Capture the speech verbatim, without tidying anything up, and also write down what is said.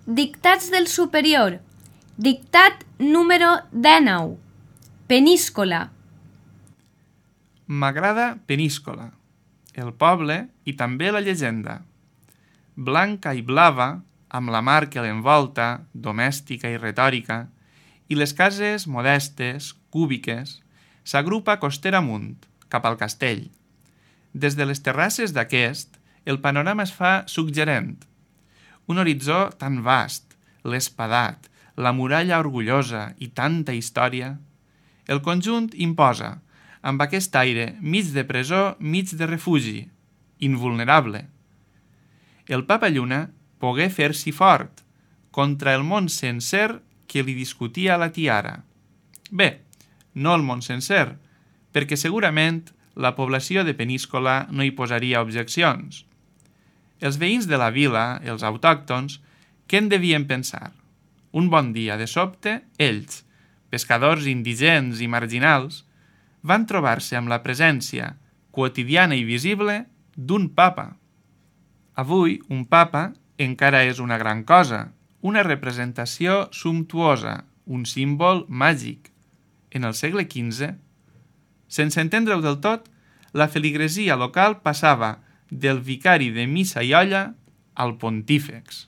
Dictats del superior. Dictat número dinou. Peníscola. M'agrada Peníscola, el poble i també la llegenda. Blanca i blava, amb la mar que l'envolta, domèstica i retòrica, i les cases modestes, cúbiques, s'agrupa costera amunt, cap al castell. Des de les terrasses d'aquest, el panorama es fa suggerent. Un horitzó tan vast, l'espadat, la muralla orgullosa i tanta història. El conjunt imposa, amb aquest aire mig de presó, mig de refugi, invulnerable. El Papa Lluna pogué fer-s'hi fort contra el món sencer que li discutia la tiara. Bé, no el món sencer, perquè segurament la població de Peníscola no hi posaria objeccions. Els veïns de la vila, els autòctons, què en devien pensar? Un bon dia, de sobte, ells, pescadors indigents i marginals, van trobar-se amb la presència quotidiana i visible d'un papa. Avui, un papa encara és una gran cosa, una representació sumptuosa, un símbol màgic. En el segle quinze, sense entendre-ho del tot, la feligresia local passava del vicari de missa i olla al pontífex.